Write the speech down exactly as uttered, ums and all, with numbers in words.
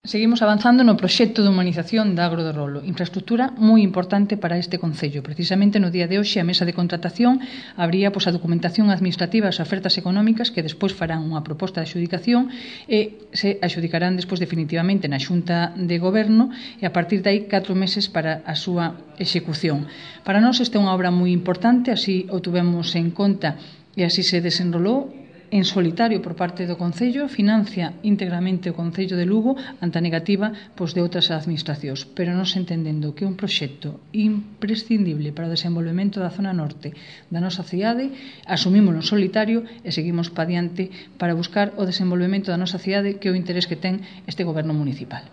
Seguimos avanzando no proxecto de humanización da Agro de Rolo, infraestructura moi importante para este concello. Precisamente no día de hoxe a mesa de contratación abría pois, a documentación administrativa e as ofertas económicas que despois farán unha proposta de adxudicación e se adxudicarán despois definitivamente na Xunta de Goberno e a partir de aí catro meses para a súa execución. Para nós esta é unha obra moi importante, así o tuvemos en conta e así se desenrolou en solitario por parte do Concello, financia íntegramente o Concello de Lugo ante a negativa pois, de outras administracións, pero nos entendendo que é un proxecto imprescindible para o desenvolvemento da zona norte da nosa cidade, asumímoslo en solitario e seguimos pa diante para buscar o desenvolvemento da nosa cidade que é o interés que ten este goberno municipal.